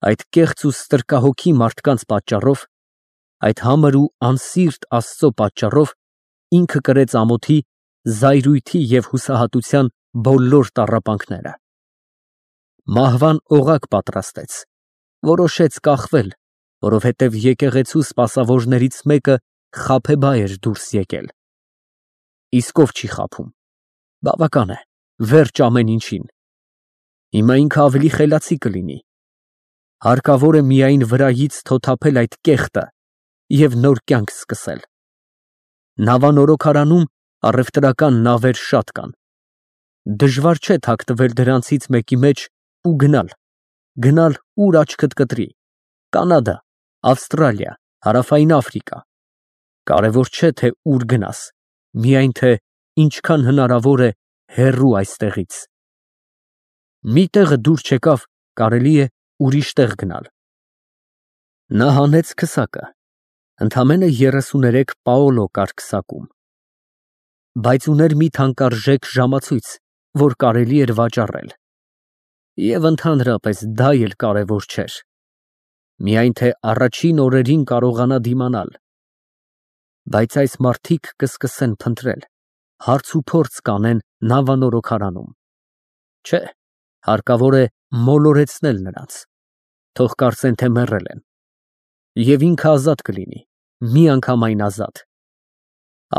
Այդ կեղծ ու ստրկահոգի մարդկանց պատճառով, այդ համր ու անսիրտ Աստծո պատճառով ինքը կրեց ամոթի, զայրույթի և հուսահատության բոլոր տառապանքները։ Մահվան օղակ պատրաստեց, որոշեց կախվել, որովհետև եկեղեցու սպասավորներից մեկը խաբեբա էր դուրս եկել։ Իսկ ով չի խաբում։ Բավական է, վերջ ամեն ինչին։ Հիմա ինքը ավելի խելացի կլինի։ Հարկավոր է միայն վրայից թոթափել այդ կեղտը և նոր կյանք սկսել։ Նավանորոգարանում առևտրական նավեր շատ կան։ Դժվար չէ թաքնվել դրանցից մեկի մեջ ու գնալ, ուր աչքդ կտրի, Կանադա, Ավստրալիա, Հարավային Աֆրիկա։ Կարևոր չէ, թե ուր գնաս, միայն թե ինչքան հնարավոր է հեռու այստեղից։ Մի տեղը դուր չեկավ, կարելի է ուրիշ տեղ գնալ։ Նա հանեց քսակը, ընդամենը 33 պաոլո կար քսակում, բայց ուներ մի թանկարժեք ժամացույց, որ կարելի էր վաճառել։ Եվ ընդհանրապես դա էլ կարևոր չէր, միայն թե առաջին օրերին կարողանա դիմանալ։ Բայց այս մարդիկ կսկսեն փնտրել, հարց ու փորձ կանեն նավանորոգարանում։ Չէ, հարկավոր է մոլորեցնել նրանց, թող կարծեն, թե մեռել են։ Եվ ինքը ազատ կլինի, միանգամայն ազատ։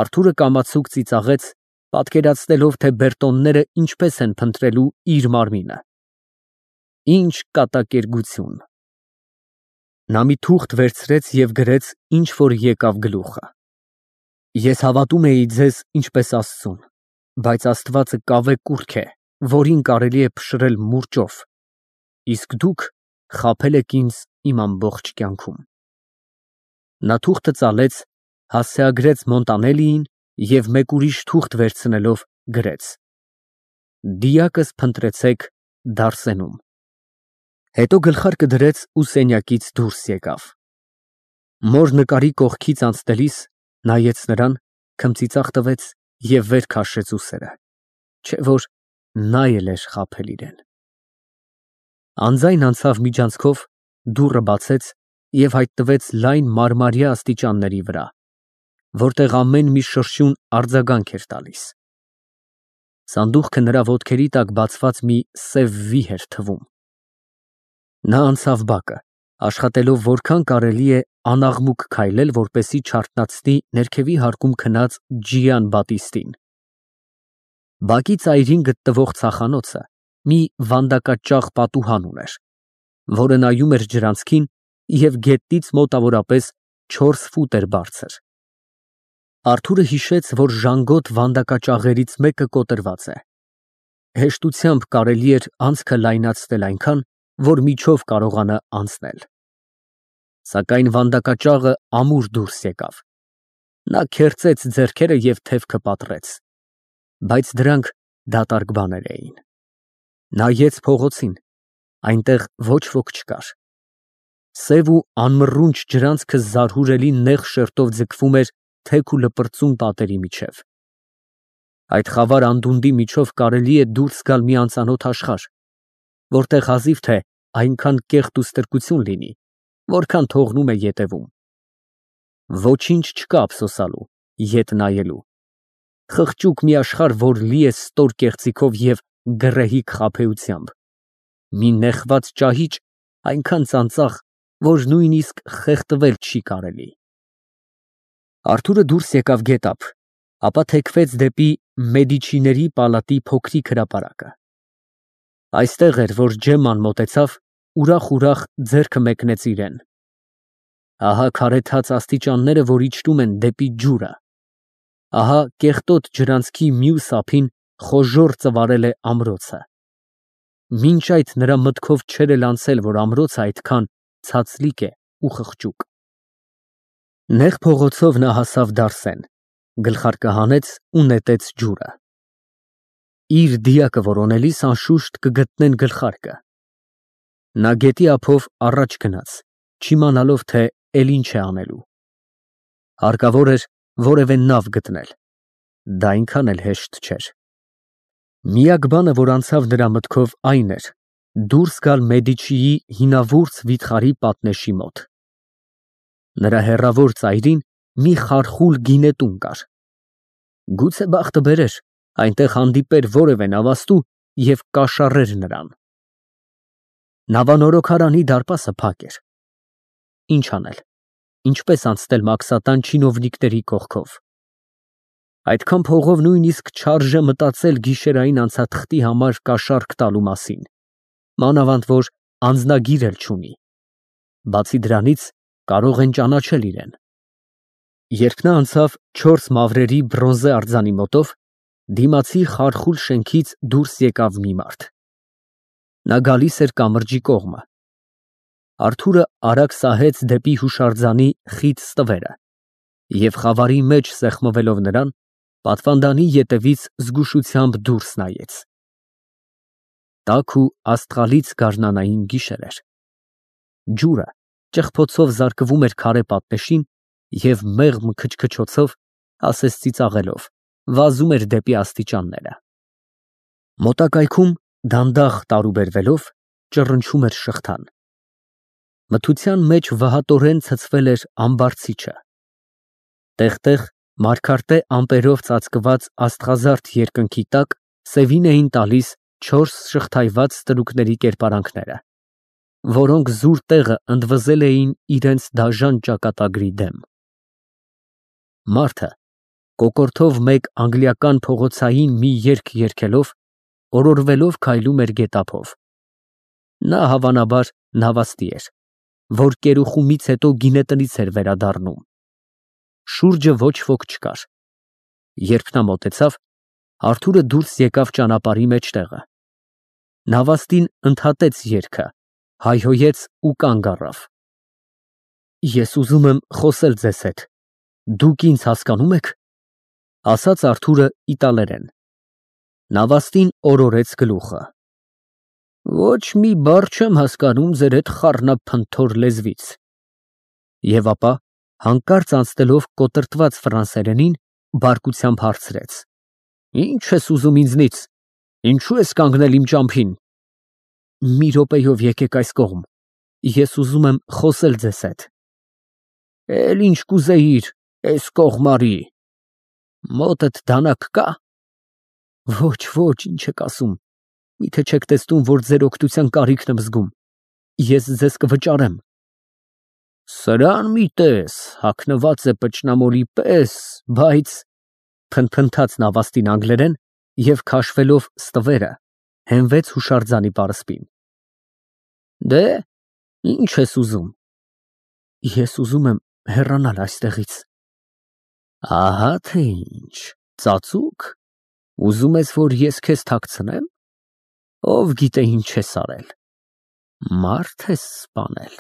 Արթուրը կամացուկ ծիծաղեց, պատկերացնելով, թե բերտոնները ինչպես են փնտրելու իր մարմինը։ Ինչ կատակերգություն։ Նա մի թուղթ վերցրեց և գրեց, ինչ որ եկավ գլուխը։ Ես հավատում էի ձեզ ինչպես Աստծուն, բայց Աստվածը կավե կուռք է, որին կարելի է փշրել մուրճով, իսկ դուք խաբել եք ինձ իմ ամբողջ կյանքում։ Նա թուղթը ծալեց, հասցեագրեց Մոնտանելիին և մեկ ուրիշ թուղթ վերցնելով գրեց. Դիակս փնտրեցեք Դարսենում։ Հետո գլխարկը դրեց ու սենյակից դուրս եկավ։ Մոր նկարի կողքից անցնելիս նայեց նրան, քմծիծաղ տվեց և վեր քաշեց ուսերը, չէ որ նա էլ էր խաբել իրեն։ Անձայն անցավ միջանցքով, դուռը բացեց և հայտնվեց լայն մարմարյա աստիճանների վրա, որտեղ ամեն մի շրշյուն արձագանք էր տալիս։ Սանդուղքը նրա ոտքերի տակ բացված մի սև վի էր թվում։ Նա անցավ բակը, աշխատելով որքան կարելի է անաղմուկ քայլել, որպեսզի չարթնացնի ներքևի հարկում քնած Ջիան Բատիստին։ Բակի ծայրին գտնվող ցախանոցը մի վանդակաճաղ պատուհան ուներ, որը նայում էր ջրանցքին և գետնից մոտավորապես 4 ֆուտ էր բարձր։ Արթուրը հիշեց, որ ժանգոտ վանդակաճաղերից մեկը կոտրված է։ Հեշտությամբ կարելի էր անցքը լայնացնել այնքան, որ միջով կարողանա անցնել։ Սակայն վանդակաճաղը ամուր դուրս եկավ։ Նա քերծեց ձեռքերը և թևքը պատռեց, բայց դրանք դատարկ բաներ էին։ Նայեց փողոցին, այնտեղ ոչ ոք չկար։ Սև ու անմռունչ ջրանցքը զարհուրելի նեղ շերտով ձգվում էր թեք ու լպրծուն պատերի միջև։ Այդ խավար անդունդի միջով կարելի է դուրս գալ մի անծանոթ աշխարհ, որտեղ հազիվ թե այնքան կեղտ ու ստրկություն լինի, որքան թողնում է ետևում։ Ոչինչ չկա ափսոսալու, ետ նայելու։ Խղճուկ մի աշխարհ, որ լի է ստոր կեղծիքով և գռեհիկ խաբեությամբ։ Մի նեխված ճահիճ, այնքան ծանծաղ, որ նույնիսկ խեղդվել չի կարելի։ Արթուրը դուրս եկավ գետափ, ապա թեքվեց դեպի Մեդիչիների պալատի փոքրիկ հրապարակը։ Այստեղ էր, որ Ջեմման մոտեցավ, ուրախ ձեռքը մեկնեց իրեն։ Ահա քարեթած աստիճանները, որ իջնում են դեպի ջուրը։ Ահա կեղտոտ ջրանցքի մյուս ափին խոժոռ ծվարել է ամրոցը։ Մինչ այդ նրա մտքով չէր էլ անցել, որ ամրոցը այդքան ցածլիկ է ու խղճուկ։ Նեղ փողոցով նա հասավ Դարսեն, գլխարկը հանեց ու նետեց ջուրը։ Իր դիակը որոնելիս անշուշտ կգտնեն գլխարկը։ Նա գետի ափով առաջ գնաց, չիմանալով, թե էլ ինչ է անելու։ Հարկավոր էր որևէ նավ գտնել։ Դա այնքան էլ հեշտ չէր։ Միակ բանը, որ անցավ նրա մտքով, այն էր, դուրս գալ Մեդիչիի հինավուրց վիթխարի պատնեշի մոտ։ Նրա հեռավոր ծայրին մի խարխուլ գինետուն կար։ Գուցե բախտը բերեր, այնտեղ հանդիպեր որևէ նավաստու և կաշառեր նրան։ Նավանորոգարանի դարպասը փակ էր։ Ինչ անել, ինչպես անցնել մաքսատան չինովնիկների կողքով։ Այդքան փողով նույնիսկ չարժե մտածել գիշերային անցաթղթի համար կաշառք տալու մասին, մանավանդ որ անձնագիր էլ չունի։ Բացի դրանից կարող են ճանաչել իրեն։ Երբ նա անցավ 4 մավրերի բրոնզե արձանի մոտով, դիմացի խարխուլ շենքից դուրս եկավ մի մարդ։ Նա գալիս էր կամրջի կողմը։ Արթուրը արագ սահեց դեպի հուշարձանի խիտ ստվերը և խավարի մեջ սեղմվելով նրան, պատվանդանի ետևից զգուշությամբ դուրս նայեց։ Տաք ու աստղալից գարնանային գիշեր էր։ Ջուրը ճղփոցով զարկվում էր քարե պատնեշին և մեղմ քչքչոցով, ասես ծիծաղելով, վազում էր դեպի աստիճանները։ Մոտակայքում դանդաղ տարուբերվելով ճռնչում էր շղթան։ Մթության մեջ վհատորեն ցցվել էր ամբարձիչը։ Տեղ-տեղ մարգարտե ամպերով ծածկված աստղազարդ երկնքի տակ սևին էին տալիս 4 շղթայված ստրուկների կերպարանքները, որոնք զուր տեղը ընդվզել էին իրենց դաժան ճակատագրի դեմ։ Մարդը կոկորդով մեկ անգլիական փողոցային մի երգ երգելով, օրորվելով քայլում էր գետափով։ Նա հավանաբար նավաստի էր, որ կերուխումից հետո գինետնից էր վերադառնում։ Շուրջը ոչ ոք չկար։ Երբ նա մոտեցավ, Արթուրը դուրս եկավ ճանապարհի մեջտեղը։ Նավաստին ընդհատեց երգը, հայհոյեց ու կանգ առավ։ Ես ուզում եմ խոսել ձեզ հետ, դուք ինձ հասկանո՞ւմ եք, ասաց Արթուրը իտալերեն։ Նավաստին օրորեց գլուխը։ Ոչ մի բառ չեմ հասկանում ձեր այդ խառնափնթոր լեզվից։ Եվ ապա, հանկարծ անցնելով կոտրտված ֆրանսերենին, բարկությամբ հարցրեց. Ինչ ես ուզում ինձնից, ինչու ես կանգնել իմ ճամփին։ Մի րոպեով եկեք այս կողմ, ես ուզում եմ խոսել ձեզ հետ։ Էլ ինչ կուզեիր, էս կողմարի։ Մոտդ դանակ կա։ Ոչ, ինչ եք ասում, միթե չեք տեսնում, որ ձեր օգնության կարիքն եմ զգում, ես ձեզ կվճարեմ։ Սրան մի տես, հագնված է պճնամոլի պես, բայց… Փնթփնթաց նավաստին անգլերեն և քաշվելով ստվերը, հենվեց հուշարձանի պարսպին։ Դե, ինչ ես ուզում։ Ես ուզում եմ հեռանալ այստեղից։ Ահա թե ինչ, ծածուկ, ուզում ես, որ ես քեզ թաքցնեմ։ Ով գիտե ինչ ես արել։ Մարդ ես սպանել։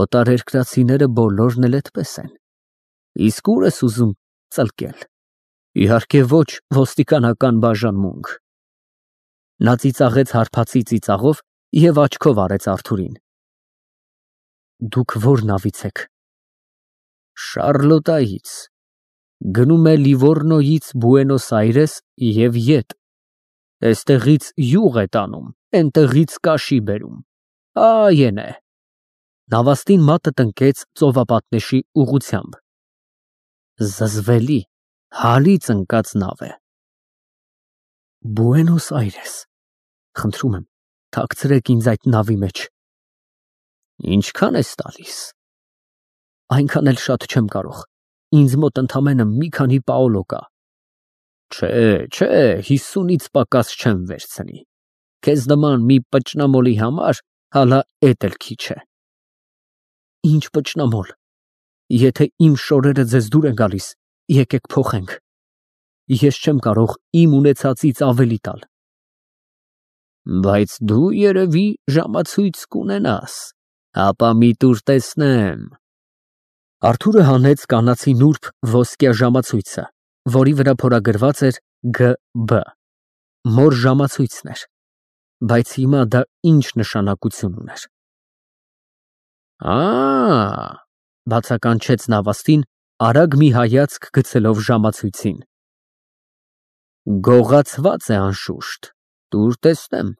Օտարերկրացիները բոլորն էլ այդպես են։ Իսկ ուր ես ուզում ծլկել։ Իհարկե ոչ ոստիկանական բաժանմունք։ Նա ծիծաղեց հարբածի ծիծաղով և աչքով արեց Արթուրին։ Դուք ո՞ր նավից եք։ Շարլոտայից։ Գնում է Լիվորնոյից Բուենոս Այրես և ետ։ Էստեղից յուղ է տանում, էնտեղից կաշի բերում։ Այն է։ Նավաստին մատը տնկեց ծովապատնեշի ուղղությամբ։ Զզվելի, հալից ընկած նավ է։ Բուենոս Այրես, խնդրում եմ, թաքցրեք ինձ այդ նավի մեջ։ Ինչքան ես տալիս։ Այնքան էլ շատ չեմ կարող, ինձ մոտ ընդամենը մի քանի պաոլո կա։ Չէ, 50-ից պակաս չեմ վերցնի։ Քեզ նման մի պճնամոլի համար հալա էդ էլ քիչ է։ Ինչ պճնամոլ։ Եթե իմ շորերը ձեզ դուր են գալիս, եկեք փոխենք։ Ես չեմ կարող իմ ունեցածից ավելի տալ։ Բայց դու երևի ժամացույց կունենաս, ապա մի տուր տեսնեմ։ Արթուրը հանեց կանացի նուրբ ոսկյա ժամացույցը, որի վրա փորագրված էր Գ.Բ. Մոր ժամացույցն էր, բայց հիմա դա ինչ նշանակություն ուներ։ Բացականչեց նավաստին, արագ մի հայացք գցելով ժամացույցին։ Գողացված է անշուշտ, տուր տեսնեմ։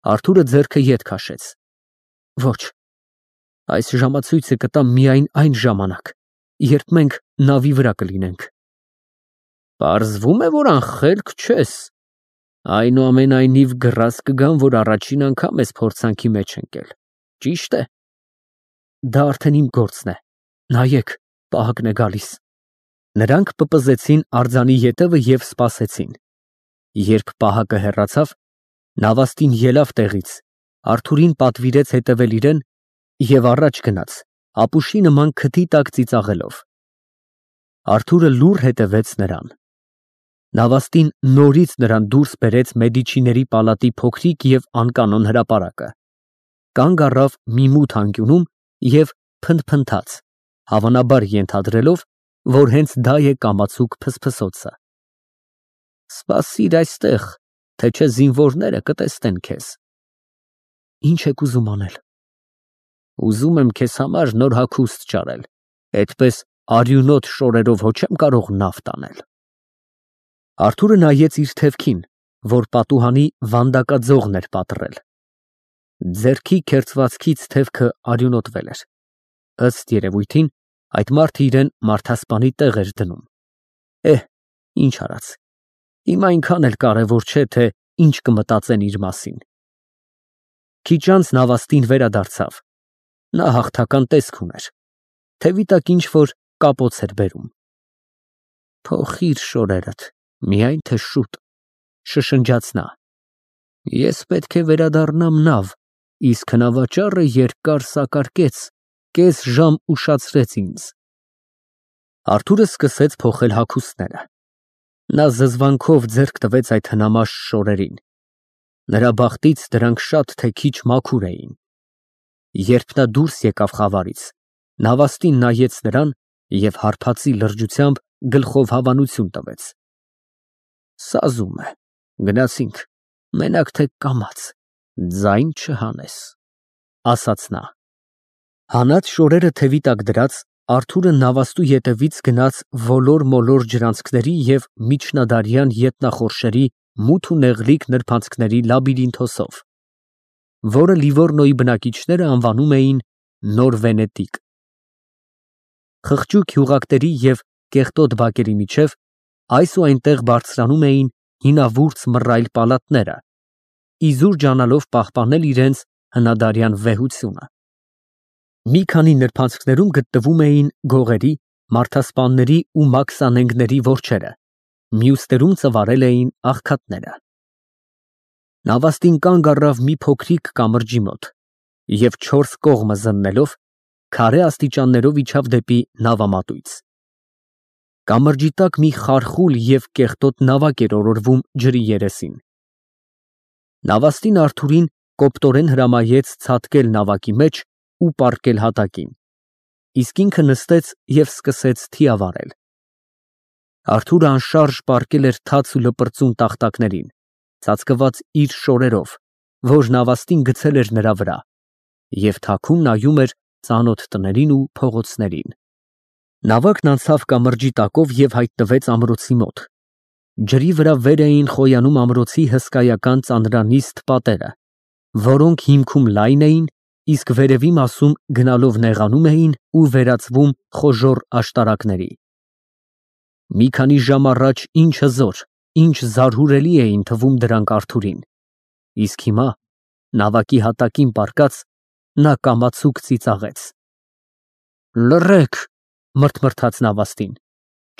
Արթուրը ձեռքը ետ քաշեց։ Ոչ, այս ժամացույցը կտա միայն այն ժամանակ, երբ մենք նավի վրա կլինենք։ Պարզվում է, որ անխելք չես։ Այնուամենայնիվ գրազ կգամ, որ առաջին անգամ ես փորձանքի մեջ ընկել։ Ճիշտ է։ Դա արդեն իմ գործն է։ Նայեք, պահակն է գալիս։ Նրանք պպզեցին արձանի ետևը և սպասեցին։ Երբ պահակը հեռացավ, նավաստին ելավ տեղից, Արթուրին պատվիրեց հետևել իրեն և առաջ գնաց, ապուշի նման քթի տակ ծիծաղելով։ Արթուրը լուռ հետևեց նրան։ Նավաստին նորից նրան դուրս բերեց Մեդիչիների պալատի փոքրիկ և անկանոն հրապարակը։ Կանգ առավ մի մութ անկյունում և փնթփնթաց, հավանաբար ենթադրելով, որ հենց դա է կամացուկ փսփսոցը։ Սպասիր այստեղ, թե չէ զինվորները կտեսնեն քեզ։ Ինչ եք ուզում անել։ Ուզում եմ քեզ համար նոր հագուստ ճարել, այդպես արյունոտ շորերով հո չեմ կարող նավ տանել։ Արթուրը նայեց իր թևքին, որ պատուհանի վանդակաձողն էր պատռել։ Ձեռքի քերծվածքից թևքը արյունոտվել էր։ Ըստ երևույթին, այդ մարդը իրեն մարդասպանի տեղ էր դնում։ Ինչ արած։ Հիմա այնքան էլ կարևոր չէ, թե ինչ կմտածեն իր մասին։ Քիչ անց նավաստին վերադարձավ։ Նա հաղթական տեսք ուներ։ Թևի տակ ինչ-որ կապոց էր բերում։ Փոխիր շորերդ, միայն թե շուտ, շշնջաց նա։ Ես պետք է վերադառնամ նավ, իսկ նավաճառը երկար սակարկեց, կես ժամ ուշացրեց ինձ։ Արթուրը սկսեց փոխել հագուստները։ Նա զզվանքով ձեռք տվեց այդ հնամաշ շորերին։ Նրա բախտից դրանք շատ թե քիչ մաքուր էին։ Երբ նա դուրս եկավ խավարից, նավաստին նայեց նրան և հարբածի լրջությամբ գլխով հավանություն տվեց։ Սազում է, գնացինք, մենակ թե կամաց, ձայն չհանես, ասաց նա։ Հանած շորերը թևի տակ դրած, Արթուրը նավաստու ետևից գնաց ոլոր-մոլոր ջրանցքների և միջնադարյան ետնախորշերի մութ ու նեղլիկ նրբանցքների լաբիրինթոսով, որը Լիվորնոյի բնակիչները անվանում էին Նոր Վենետիկ։ Խղճուկ հյուղակների և կեղտոտ բակերի միջև այս ու այնտեղ բարձրանում էին հինավուրց մռայլ պալատները, իզուր ջանալով պահպանել իրենց հնադարյան վեհությունը։ Մի քանի նրբանցքներում գտնվում էին գողերի, մարդասպանների ու մաքսանենգների որջերը, մյուսներում ծվարել էին աղքատները։ Նավաստին կանգ առավ մի փոքրիկ կամրջի մոտ և 4 կողմը զննելով, քարե աստիճաններով իջավ դեպի նավամատույց։ Կամրջի տակ մի խարխուլ և կեղտոտ նավակ էր օրորվում ջրի երեսին։ Նավաստին Արթուրին կոպտորեն հրամայեց ցատկել նավակի մեջ ու պառկել հատակին, իսկ ինքը նստեց և սկսեց թիավարել։ Արթուրը անշարժ պառկել էր թաց ու լպրծուն տախտակներին, ծածկված իր շորերով, որ նավաստին գցել էր նրա վրա, և թաքուն նայում էր ծանոթ տներին ու փողոցներին։ Նավակն անցավ կամրջի տակով և հայտնվեց ամրոցի մոտ։ Ջրի վրա վեր էին խոյանում ամրոցի հսկայական ծանրանիստ պատերը, որոնք հիմքում լայն էին, իսկ վերևի մասում գնալով նեղանում էին ու վերածվում խոժոռ աշտարակների։ Մի քանի ժամ առաջ ինչ հզոր, ինչ զարհուրելի էին թվում դրանք Արթուրին, իսկ հիմա, նավակի հատակին պառկած, նա կամացուկ ծիծաղեց։ Լռեք, մռթմռթաց նավաստին,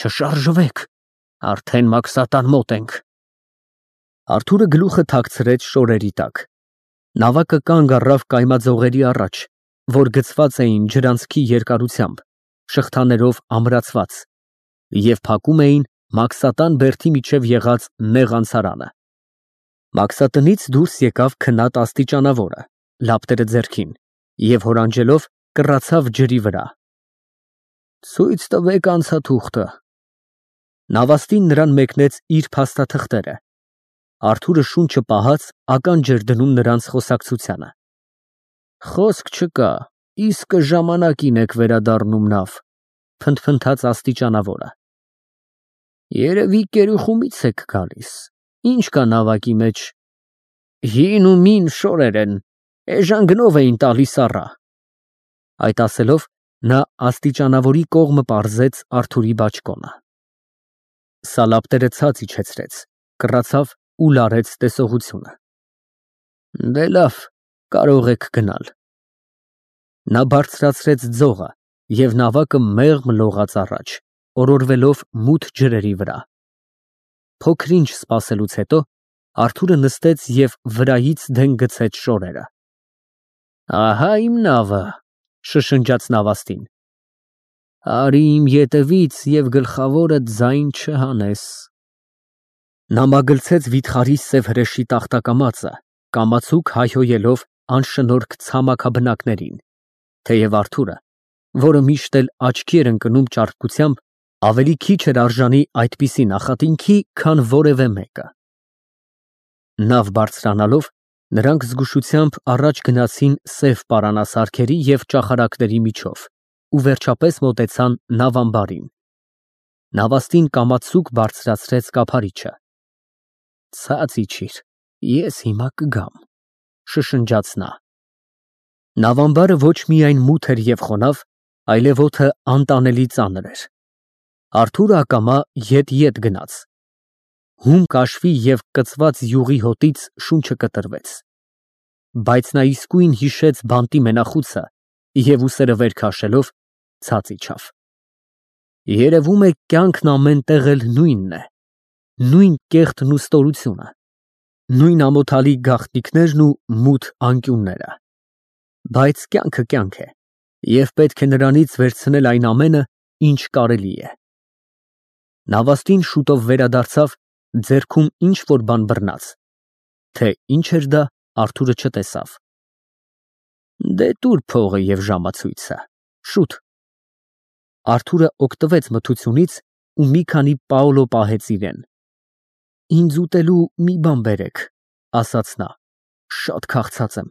չշարժվեք, արդեն մաքսատան մոտ ենք։ Արթուրը գլուխը թաքցրեց շորերի տակ։ Նավակը կանգ առավ կայմաձողերի առաջ, որ գցված էին ջրանցքի երկարությամբ, շղթաներով ամրացված, և փակում էին Մաքսատան բերդի միջև եղած նեղ անցարանը։ Մաքսատնից դուրս եկավ քնած աստիճանավորը, լապտերը ձեռքին, և հորանջելով կռացավ ջրի վրա։ Ցույց տվեք անցաթուղթը։ Նավաստին նրան մեկնեց իր փաստաթղթերը։ Արթուրը շունչը պահած ականջ էր դնում նրանց խոսակցությանը։ Խոսք չկա, իսկը ժամանակին եք վերադառնում նավ, փնթփնթաց աստիճանավորը։ Երևի կերուխումից եք գալիս, ինչ կա նավակի մեջ։ Հին ու մին շորեր են, էժան գնով էին տալիս առա։ Այդ ասելով նա աստիճանավորի կողմը պարզեց Արթուրի բաճկոնը։ Սալապտերը ցած իջեցրեց, կռացավ ու լարեց տեսողությունը։ Դե լավ, կարող եք գնալ։ Նա բարձրացրեց ձողը և նավակը մեղմ լողաց առաջ, օրորվելով մութ ջրերի վրա։ Փոքր-ինչ սպասելուց հետո Արթուրը նստեց և վրայից դեն գցեց շորերը։ Ահա իմ նավը, շշնջաց նավաստին։ Արի իմ ետևից և գլխավորդ ձայն չհանես։ Նա մագլցեց վիթխարի սև հրեշի տախտակամածը, կամացուկ հայհոյելով անշնորհք ցամաքաբնակներին, թեև Արթուրը, որը միշտ էլ աչքի էր ընկնում ճարպկությամբ, ավելի քիչ էր արժանի այդպիսի նախատինքի, քան որևէ մեկը։ Նավ բարձրանալով, նրանք զգուշությամբ առաջ գնացին սև պարանասարքերի և ճախարակների միջով ու վերջապես մոտեցան նավամբարին։ Նավաստին կամացուկ բարձրացրեց կափարիչը։ Ցած իջիր, ես հիմա կգամ, շշնջաց նա։ Նավամբարը ոչ միայն մութ էր և խոնավ, այլև օդը անտանելի ծանր էր։ Արթուրը ակամա ետ գնաց։ Հում կաշվի և կծված յուղի հոտից շունչը կտրվեց։ Բայց նա իսկույն հիշեց բանտի մենախուցը և ուսերը վեր քաշելով ցած իջավ։ Երևում է կյանքն ամեն տեղ էլ նույնն է, նույն կեղտն ու ստորությունը, նույն ամոթալի գաղտնիքներն ու մութ անկյունները։ Բայց կյանքը կյանք է, և պետք է նրանից վերցնել այն ամենը, ինչ կարելի է։ Նավաստին շուտով վերադարձավ, ձեռքում ինչ֊որ բան բռնած, թե ինչ էր դա, Արթուրը չտեսավ։ Դե տուր փողը և ժամացույցը, շուտ։ Արթուրը օգտվեց մթությունից ու մի քանի պաոլո պահեց իրեն։ Ինձ ուտելու մի բան բերեք, ասաց նա, շատ քաղցած եմ։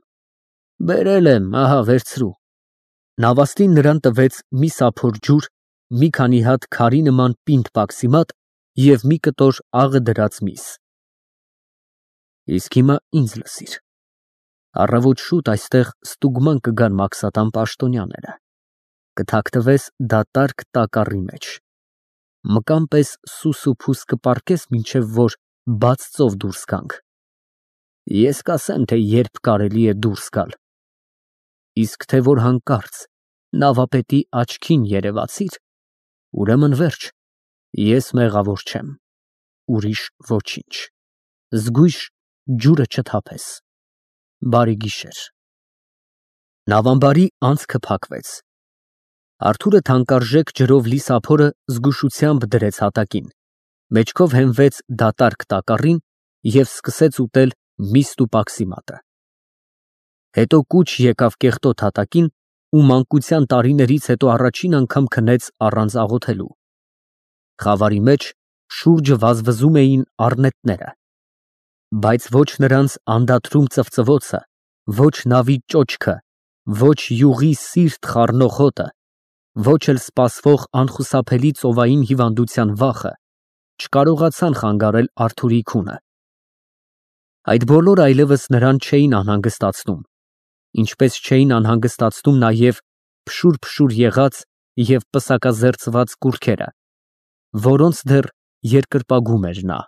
Բերել եմ, ահա վերցրու։ Նավաստին նրան տվեց մի սափոր ջուր, մի քանի հատ քարի նման պինդ պաքսիմատ և մի կտոր աղը դրած միս։ Իսկ հիմա ինձ լսիր։ Առավոտ շուտ այստեղ ստուգման կգան մաքսատան պաշտոնյաները։ Կթաքնվես դատարկ տակառի մեջ։ Մկան պես սուս ու փուս կպառկես, մինչև որ բաց ծով դուրս գանք։ Ես կասեմ, թե երբ կարելի է դուրս գալ։ Իսկ թե որ հանկարծ նավապետի աչքին երևացիր, ուրեմն վերջ, ես մեղավոր չեմ, ուրիշ ոչինչ։ Զգույշ ջուրը չթափես։ Բարի գիշեր։ Նավամբարի անցքը փակվեց։ Արթուրը թանկարժեք ջրով լի սափորը զգուշությամբ դրեց հատակին, մեջքով հենվեց դատարկ տակառին և սկսեց ուտել միստ ու պաքսիմատը։ Հետո կուչ եկավ կեղտոտ հատակին ու մանկության տարիներից հետո առաջին անգամ քնեց առանց աղոթելու։ Խավարի մեջ շուրջը վազվզում էին առնետները, բայց ոչ նրանց անդադրում ծվծվոցը, ոչ նավի ճոճքը, ոչ յուղի սիրտ խառնող հոտը, ոչ էլ սպասվող անխուսափելի ծովային հիվանդության վախը չկարողացան խանգարել Արթուրի քունը։ Այդ բոլորը այլևս նրան չէին անհանգստացնում, ինչպես չէին անհանգստացնում նաև փշուր եղած և պսակազերծված կուռքերը, որոնց դեռ երկրպագում էր նա։